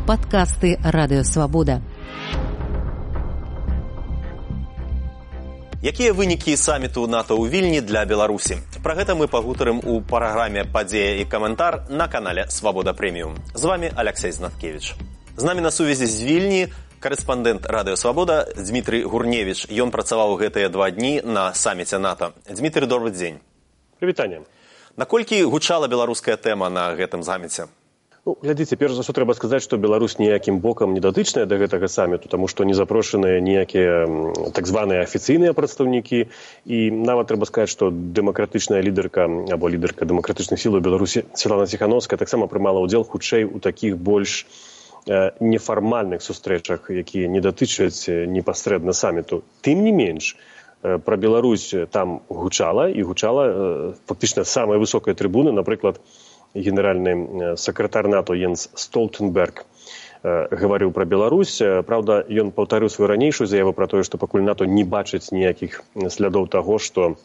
Падкасты Радыёвабода. Якія вынікі саміту НАТО ў Вільні для Беларусі? Пра гэта мы пагутарым у праграме «Падзея і каментар» на канале «Свабода Прэміум». З вами Алексей Знаткевич. З намі на сувязі з Вільні корэспандэнт Радыёвабода Дмітрый Гурневіч. Ён працаваў гэтыя 2 дні на саміце НАТО. Дмітрый, добры дзень. Прывітанне. Наколькі гучала беларуская тэма на гэтым саміце? Глядзіце, перш за ўсё трэба сказаць, што Беларусь ніякім бокам не датычная да гэтага саміту, таму што не запрошаныя ніякія так званыя афіцыйныя прадстаўнікі. І нават трэба сказаць, што дэмакратычная лідарка або лідарка дэмакратычных сіл у Беларусі Святлана Ціханаўская таксама прымала ўдзел хутчэй у такіх больш нефармальных сустрэчах, якія не датычаць непасрэдна саміту. Тым не менш, пра Беларусь там гучала, і гучала фактычна самая высокая трыбуна, напрыклад, генеральны сакратар НАТО Йенс Столтенберг гаварыў пра Беларусь. Праўда, ён паўтарыў сваю ранейшую заяву пра тое, што пакуль НАТО не бачыць ніякіх слядоў таго, што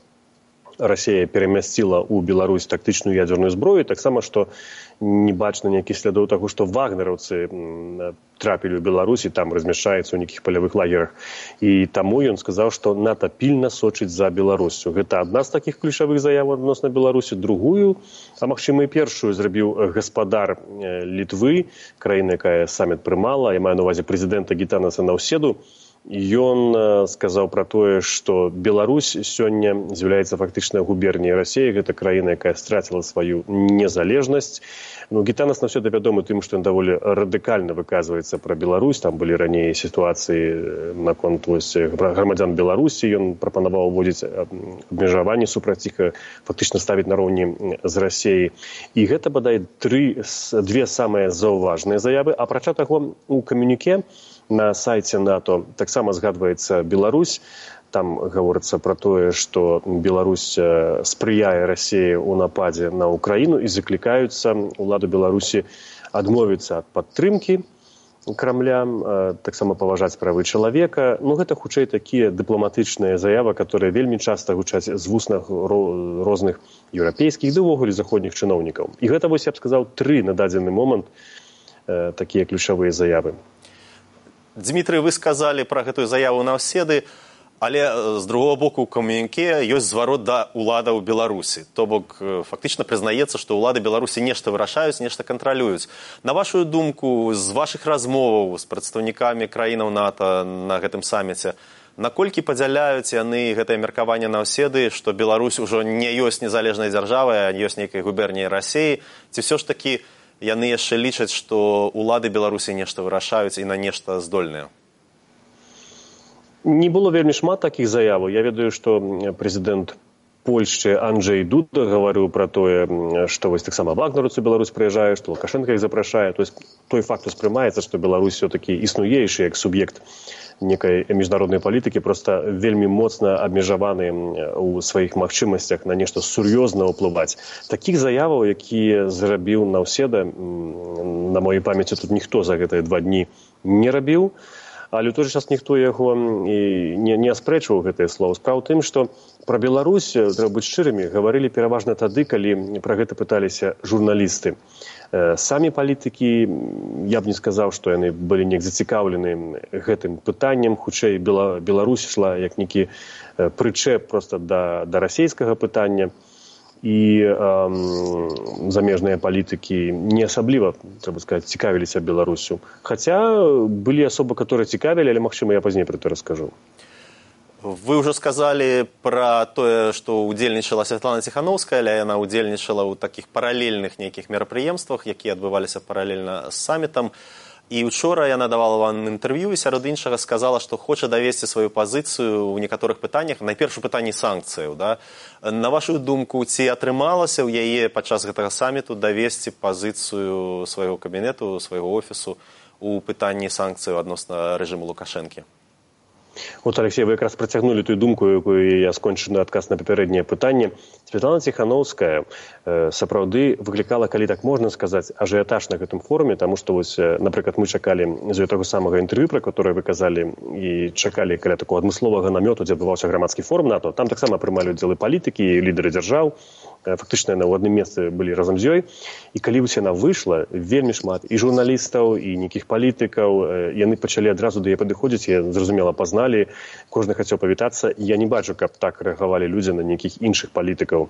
Расія перамясціла ў Беларусь тактычную ядзерную зброю, таксама, што не бачна ніякіх слядоў таго, што вагнераўцы трапілі ў Беларусь і там размяшчаюцца ў нейкіх палявых лагерах. І таму ён сказаў, што НАТО пільна сочыць за Беларусю. Гэта адна з такіх ключавых заяваў адносна Беларусі. Другую, а магчыма і першую, зрабіў гаспадар Літвы, краіны, якая саміт прымала, я маю на ўвазе прэзідэнта Гітанаса Наўседу. Ён сказаў пра тое, што Беларусь сёння з'яўляецца фактычна губерняй Расіі. Гэта краіна, якая страціла сваю незалежнасць. Гітанас Наўседа вядомы тым, што ён даволі радыкальна выказваецца пра Беларусь. Там былі раней сітуацыі наконт грамадзян Беларусі. Ён прапанаваў уводзіць абмежаванні супраць іх, фактычна ставіць нароўні з Расіяй. І гэта, бадай, две самыя заўважныя заявы. Апрача таго, у камюніке на сайце НАТО таксама згадваецца Беларусь. Там гаворыцца пра тое, што Беларусь спрыяе Расіі ў нападзе на Украіну і заклікаюцца ўладу Беларусі адмовіцца ад падтрымкі Крамля, таксама паважаць правы чалавека. Гэта хутчэй такія дыпламатычныя заявы, которые вельмі часта гучаць з вуснах розных еўрапейскіх ды ўвогуле заходніх чыноўнікаў. І гэта, вось я б сказаў, 3 на дадзены момант такія ключавыя заявы. Дмітрый, вы сказалі пра гэтую заяву Наўседы, але з другого боку ў камюніке ёсць зварот да ўладаў Беларусі. То бок фактычна прызнаецца, што ўлады Беларусі нешта вырашаюць, нешта кантралююць. На вашу думку, з вашых размоваў з прадстаўнікамі краінаў НАТО на гэтым саміце, наколькі падзяляюць яны гэтае меркаванне Наўседы, што Беларусь ужо не ёсць незалежнай дзяржавай, а ёсць нейкай губерняй Расіі, ці ўсё ж такі яны яшчэ лічаць, што ўлады Беларусі нешта вырашаюць і на нешта здольныя? Не было вельмі шмат такіх заяваў. Я ведаю, што прэзідэнт Польшчы Анджэй Дуда гаварыў пра тое, што вось таксама вагнераўцы Беларусь прыязджае, што Лукашенка іх запрашае. То есть той факт успрымаецца, што Беларусь все-таки існуейшы як суб'ект некай міжнароднай палітыкі, проста вельмі моцна абмежаваны ў сваіх магчымасцях на нешта сур'ёзна ўплываць. Такіх заяваў, якія зрабіў Наўседа, на маёй памяці тут ніхто за гэтыя 2 дні не рабіў. Але ў той жа час ніхто яго не аспрэчваў гэтыя словы. Справа ў тым, што пра Беларусь, трэба быць шчырымі, гаварылі пераважна тады, калі пра гэта пыталіся журналісты. Самі палітыкі, я б не сказаў, што яны былі неяк зацікаўлены гэтым пытаннем. Хутчэй Беларусь ішла як нейкі прычэп проста да расійскага пытання. І замежныя палітыкі не асабліва, трэба сказаць, цікавіліся Беларусю. Хаця былі асобы, которые цікавілі, але, магчыма, я пазней пра гэта раскажу. Вы ўжо сказалі пра тое, што ўдзельнічала Святлана Ціханаўская, але яна ўдзельнічала ў такіх паралельных нейкіх мерапрыемствах, якія адбываліся паралельна з самітам. І учора яна давала вам інтэрв'ю і сярод іншага сказала, што хоча давесці сваю пазіцыю ў некаторых пытаннях, найперш у пытанні санкцыяў. Да? На вашу думку, ці атрымалася ў яе падчас гэтага саміту давесці пазіцыю свайго кабінету, свайго офісу у пытанні санкцыяў адносна рэжыму Лукашэнкі? От, Алексей, вы якраз працягнулі тую думку, якую я скончыў адказ на папярэдняе пытанне. Святлана Ціханаўская сапраўды выклікала, калі так можна сказаць, ажыятаж на гэтым форуме, таму што, напрыклад, мы чакалі з таго самага інтэрв'ю, пра которое вы казалі, і чакалі каля такого адмысловага намёту, дзе адбываўся грамадскі форум НАТО. Там таксама прымалі ўдзел і палітыкі, і лідары дзяржаў, фактычна яна ў адным месцы былі разам з ёй. І калі вось яна выйшла, вельмі шмат і журналістаў, і нейкіх палітыкаў, яны пачалі адразу да яе падыходзіць, я зразумела, пазналі, кожны хацеў павітацца. Я не бачу, каб так рэагавалі людзі на нейкіх іншых палітыкаў.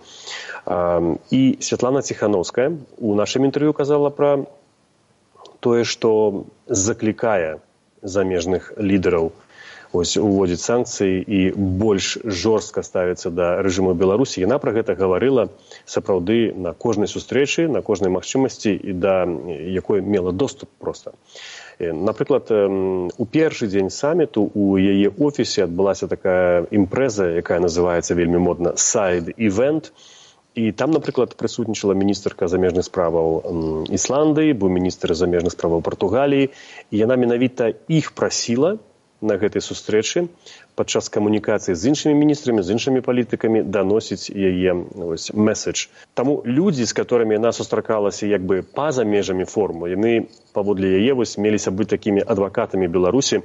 І Святлана Ціхановская у нашым інтэрв'ю казала пра тое, што заклікае замежных лідараў уводзіць санкцыі і больш жорстка ставіцца да рэжыму Беларусі. Яна пра гэта гаварыла сапраўды на кожнай сустрэчы, на кожнай магчымасці і да якой мела доступ проста. Напрыклад, у першы дзень саміту у яе офісе адбылася такая імпрэза, якая называецца вельмі модна «Сайд-івент». І там, напрыклад, прысутнічала міністрка замежных справаў Ісландыі, быў міністр замежных справаў Партугаліі, і яна менавіта іх прасіла на гэтай сустрэчы падчас камунікацыі з іншымі міністрамі, з іншымі палітыкамі даносіць яе месседж. Таму людзі, з которымі яна сустракалася як бы па-за межамі форуму, яны паводле яе меліся быць такімі адвакатамі Беларусі.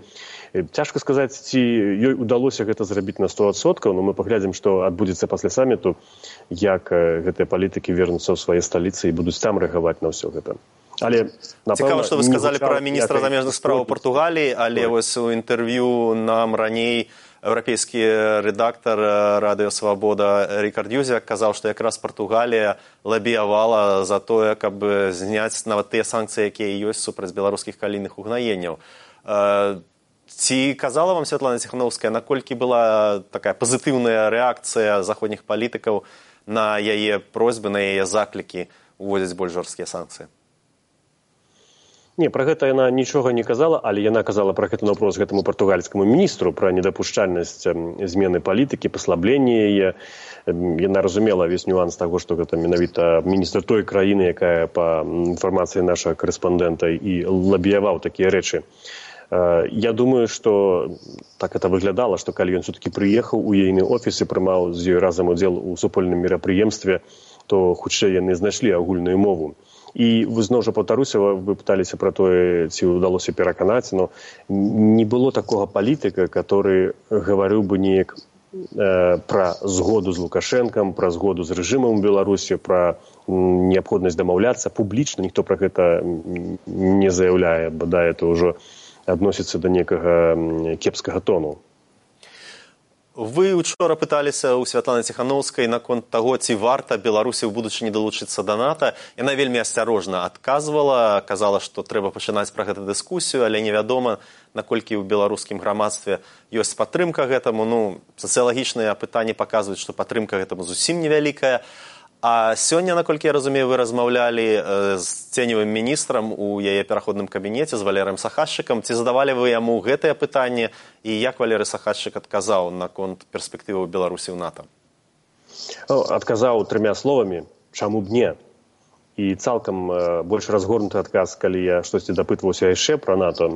Цяжка сказаць, ці ёй удалося гэта зрабіць на 100%, но мы паглядзім, што адбудзецца пасля саміту, як гэтыя палітыкі вернуцца ў свае сталіцы і будуць там рэагаваць на ўсё гэта. Але, цікава, што вы сказалі пра міністра замежных справаў Партугаліі, але вось у інтэрв'ю нам раней еўрапейскі рэдактар Радыё Свабода Рікард Юзяк казаў, што якраз Партугалія лабіявала за тое, каб зняць нават тыя санкцыі, якія ёсць супраць беларускіх калійных угнаенняў. Ці казала вам Святлана Ціхановская, наколькі была такая пазітыўная рэакцыя заходніх палітыкаў на яе просьбы, на яе заклікі уводзіць больш жорсткія санкцыі? Не, пра гэта яна нічога не казала, але яна казала пра гэты вопрос гэтаму партугальскаму міністру, пра недапушчальнасць змены палітыкі, паслабленне яе. Яна разумела весь нюанс таго, што гэта менавіта міністр той краіны, якая па інфармацыі нашага корэспандэнта і лабіяваў такія рэчы. Я думаю, што так это выглядала, што калі ён все-таки прыехаў у ейны офіс і прымаў з ёй разам удзел у супольным мерапрыемстве, то хутчэй яны знайшлі агульную мову. І вы зноў жа паўтаруся, вы пыталіся пра тое, ці ўдалося пераканаць, но не было такога палітыка, который гаварыў бы неяк пра згоду з Лукашэнкам, пра згоду з рэжымам Беларусі, пра неабходнасць дамаўляцца публічна, ніхто пра гэта не заяўляе, бадай это ўжо адносіцца да некага кепскага тону. Вы учора пыталіся ў Святланы Ціхановскай наконт таго, ці варта Беларусі ў будучыні далучыцца да НАТО. Яна вельмі асцярожна адказвала, казала, што трэба пачынаць пра гэта дыскусію, але невядома, наколькі ў беларускім грамадстве ёсць падтрымка гэтаму. Сацыялагічныя апытанні паказваюць, што падтрымка гэтаму зусім невялікая. А сёння, наколькі я разумею, вы размаўлялі з ценевым міністрам у яе пераходным кабінеце з Валерыем Сахашчыкам. Ці задавалі вы яму гэтае пытанне і як Валерый Сахашчык адказаў наконт перспектываў Беларусі ў НАТО? Адказаў 3 словамі «чаму б не?». І цалкам больш разгорнуты адказ, калі я штосьці дапытваўся яшчэ пра НАТО.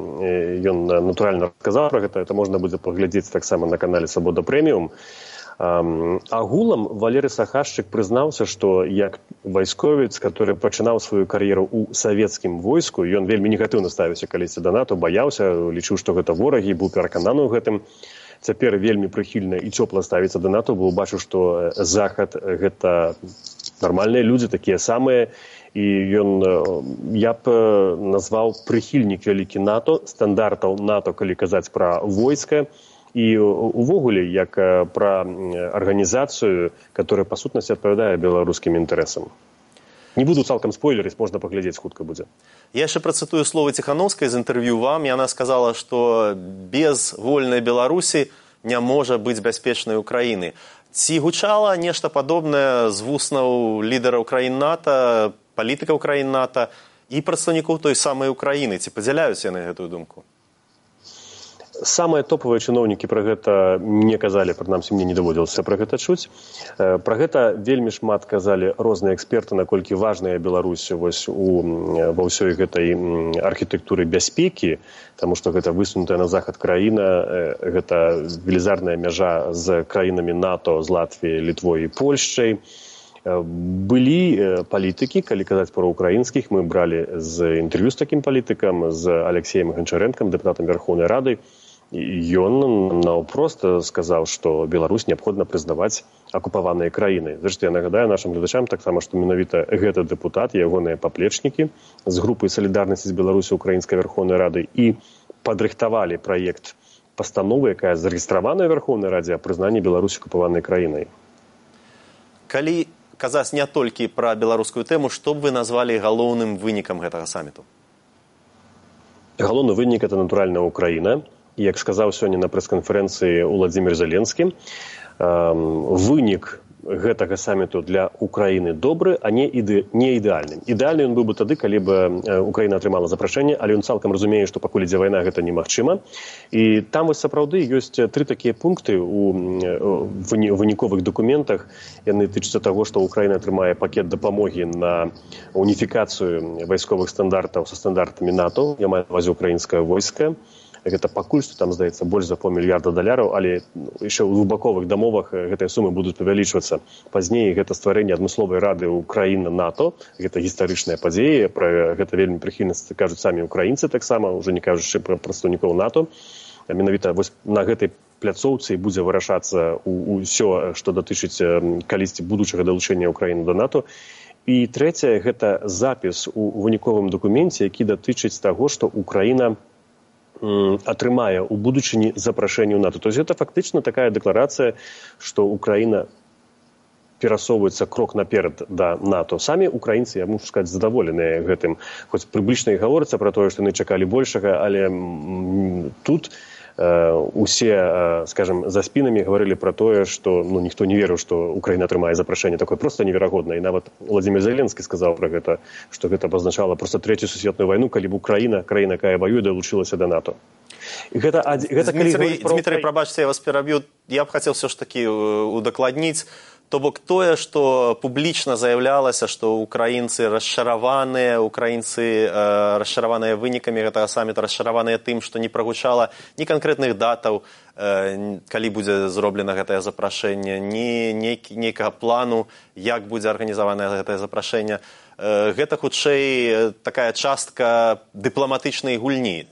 Ён натуральна адказаў пра гэта. Это можна будзе паглядзець таксама на канале «Свабода Прэміум». Агулам Валерый Сахашчык прызнаўся, што як вайсковец, который пачынаў сваю кар'еру ў савецкім войску, ён вельмі негатыўна ставіўся калісьці да НАТО, баяўся, лічыў, што гэта ворагі, быў перакананы ў гэтым. Цяпер вельмі прыхільна і цёпла ставіцца да НАТО, бо бачу, што Захад гэта нармальныя людзі, такія самыя, і ён, я б назваў прыхільнік вялікі НАТО, стандартаў НАТО, калі казаць пра войска, і увогуле як пра арганізацыю, которая па сутнасці адпавядае беларускім інтарэсам. Не буду цалкам спойлерыць, можна паглядзець, хутка будзе. Я яшчэ працытую словы Ціхановскай з інтэрв'ю вам. Яна сказала, што без вольнай Беларусі не можа быць бяспечнай Украіны. Ці гучала нешта падобнае з вуснаў лідараў краін НАТО, палітыкаў краін НАТО і прадстаўнікоў той самай Украіны? Ці падзяляюць яны гэтую думку? Самыя топавыя чыноўнікі пра гэта не казалі, прынамсі мне не даводзілася пра гэта чуць. Пра гэта вельмі шмат казалі розныя эксперты, наколькі важная Беларусь ва ўсёй гэтай архітэктуры бяспекі, таму што гэта высунутая на захад краіна, гэта велізарная мяжа з краінамі НАТО, з Латвіяй, Літвой і Польшчай. Былі палітыкі, калі казаць пра украінскіх, мы бралі з інтэрв'ю з такім палітыкам, з Алексеем Гончарэнкам, дэпутатам Верхоўнай Рады. ён наўпрост сказаў, што Беларусь неабходна прызнаваць акупаваныя краіны. Зрэшты, я нагадаю нашым гледачам таксама, што менавіта гэты дэпутат, ягоныя паплечнікі з групы «Салідарнасці з Беларусі» Украінскай Верховнай Рады і падрыхтавалі праект пастановы, якая зарэгістраваная ў Верховнай Радзе о прызнанні Беларусі акупаванай краінай. Калі казаць не толькі пра беларускую тэму, што б вы назвалі галоўным вынікам гэтага саміту? Галоўны вынік – это, натуральна, Украіна. Як сказаў сёння на прэс-канферэнцыі Уладзімір Зеленскі, вынік гэтага саміту для Украіны добры, а не ідэальным. Ідэальны ён быў бы тады, калі б Украіна атрымала запрашэнне, але ён цалкам разумее, што пакуль ідзе вайна, гэта немагчыма. І там вось сапраўды ёсць 3 такія пункты ў выніковых дакументах. Яны тычацца таго, што Украіна атрымае пакет дапамогі на уніфікацыю вайсковых стандартаў са стандартамі НАТО. Я маю на ўвазе украінскае войска. Гэта пакуль што там, здаецца, больш за $500 мільярда, але яшчэ ў двухбаковых дамовах гэтыя сумы будуць павялічвацца. Пазней гэта стварэнне адмысловай рады Украіна-НАТО. Гэта гістарычная падзея, пра гэта вельмі прыхільна кажуць самі украінцы таксама, ўжо не кажучы пра прадстаўнікоў НАТО. Менавіта вось на гэтай пляцоўцы будзе вырашацца ўсё, што датычыць калісьці будучага далучэння Украіны да НАТО. І трэцяе, гэта запіс у выніковым дакуменце, які датычыць таго, што Украіна атрымае ў будучыні запрашэнне ў НАТО. То есть гэта фактычна такая дэкларацыя, што Украіна перасоўваецца крок наперад да НАТО. Самі украінцы, я мушу сказаць, задаволеныя гэтым. Хоць прыблічна і гаворыцца пра тое, што яны чакалі большага, але тут усе, скажем, за спінамі гаварылі пра тое, што ніхто не верыў, што Украіна атрымае запрашэнне. Такое проста неверагодна. І нават Уладзімір Зеленскі сказаў пра гэта, што гэта пазначала проста Трэцюю сусветную вайну, калі б Украіна, краіна, якая ваюе, далучылася да НАТО. Дмітрый, прабачце, я вас пераб'ю. Я б хацеў все ж такі удакладніць. То бок тое, што публічна заявлялася, што украінцы расчараваныя вынікамі гэтага саміта, расчараваныя тым, што не прагучала ні канкрэтных датаў, калі будзе зроблена гэтае запрашэнне, ні нейкага плану, як будзе арганізаванае гэтае запрашэнне. Гэта, хутчэй, такая частка дыпламатычнай гульні.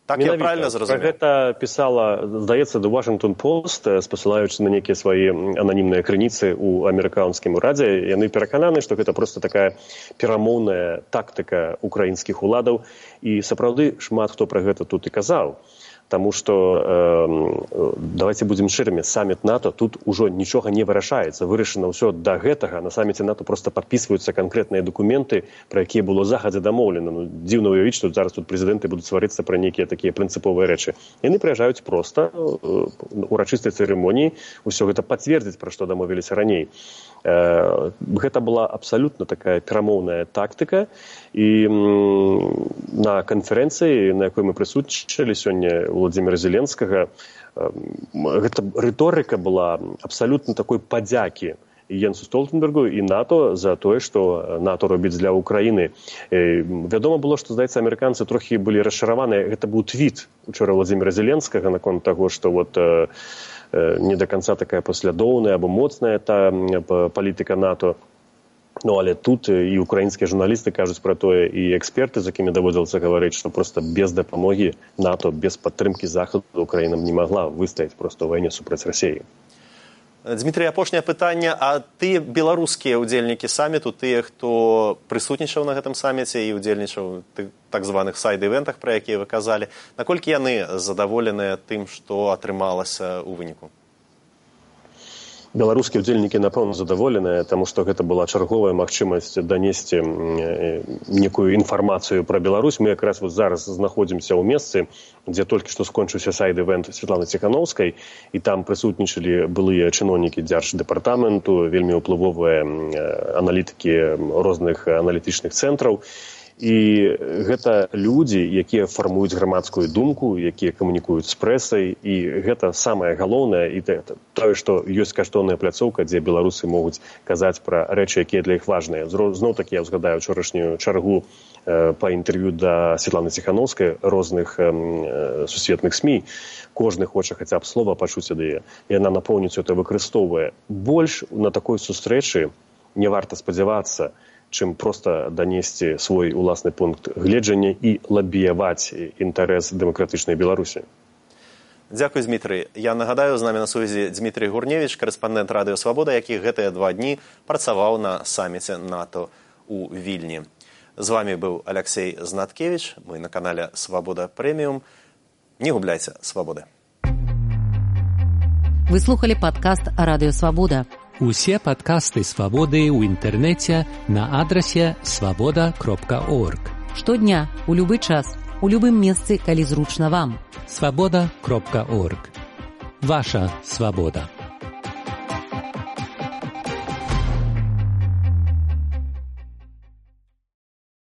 Так я правильно зразумеў? Пра гэта пісала, здаецца, The Washington Post, спасылаючы на нейкія свае ананімныя крыніцы ў амерыканскім урадзе. Яны перакананы, што гэта проста такая перамоўная тактыка украінскіх уладаў. І сапраўды шмат хто пра гэта тут і казаў. Таму што, давайте будзем шчырымі, саміт НАТО, тут ужо нічога не вырашаецца. Вырашана ўсё да гэтага. На саміце НАТО проста падпісваюцца канкрэтныя дакументы, пра якія было захадзе дамоўлена. Дзіўна ўявіць, што зараз тут прэзідэнты будуць сварыцца пра нейкія такія прынцыповыя рэчы. Яны прыязджаюць проста урачыстай цырымоніі, ўсё гэта пацвердзіць, пра што дамовіліся раней. Гэта была абсалютна такая перамоўная тактыка. І на канферэнцыі, на якой мы прысутнічалі сёння Уладзіміра Зеленскага, гэта рыторыка была абсалютна такой падзякі Єнсу Столтенбергу і НАТО за тое, што НАТО робіць для Украіны. Вядома было, што, здаецца, амерыканцы трохі былі расчараваныя. Гэта быў твіт учора Уладзіміра Зеленскага наконт таго, што не до конца такая паслядоўная або моцная та палітыка НАТО. Але тут і украінскія журналісты кажуць пра тое, і эксперты, з якімі даводзілася гаварыць, што проста без дапамогі НАТО, без падтрымкі Захаду Украіна не магла выстаяць проста ў вайне супраць Расіі. Дмітрый, апошняе пытанне. А тыя беларускія ўдзельнікі саміту, тыя, хто прысутнічаў на гэтым саміце і ўдзельнічаў у так званых сайд-івентах, пра якія вы казалі, наколькі яны задаволеныя тым, што атрымалася ў выніку? Беларускія ўдзельнікі, напэўна, задаволеныя, таму што гэта была чарговая магчымасць данесці некую інфармацыю пра Беларусь. Мы якраз зараз знаходзімся ў месцы, дзе толькі што скончыўся сайд-івент Святланы Ціханаўскай, і там прысутнічалі былыя чыноўнікі дзярждэпартаменту, вельмі ўплывовыя аналітыкі розных аналітычных цэнтраў. І гэта людзі, якія фармуюць грамадскую думку, якія камунікуюць з прэсай, і гэта самае галоўнае, і тое, што ёсць каштоўная пляцоўка, дзе беларусы могуць казаць пра рэчы, якія для іх важныя. Зноў-такі я ўзгадаю учорашнюю чаргу па інтэрв'ю да Святланы Ціханаўскай розных сусветных СМІ. Кожны хоча хаця б слова пачуць ад яе. Яна напоўніцу это выкарыстоўвае. Больш на такой сустрэчы не варта спадзявацца, чым проста данесці свой уласны пункт гледжання і лабіяваць інтарэс дэмакратычнай Беларусі. Дзякуй, Дмітрый. Я нагадаю, з намі на сувязі Дмітрый Гурневіч, карэспандэнт Радыё Свабода, які гэтыя 2 дні працаваў на саміце НАТО у Вільні. З вами быў Алексей Знаткевич, мы на канале Свабода Прэміум. Не губляйце свабоды. Вы слухали падкаст Радыё Свабода. Усе падкасты Свабоды ў інтэрнэце на адрасе swaboda.org. Штодня, у любы час, у любым месцы, калі зручна вам. swaboda.org. Ваша свабода.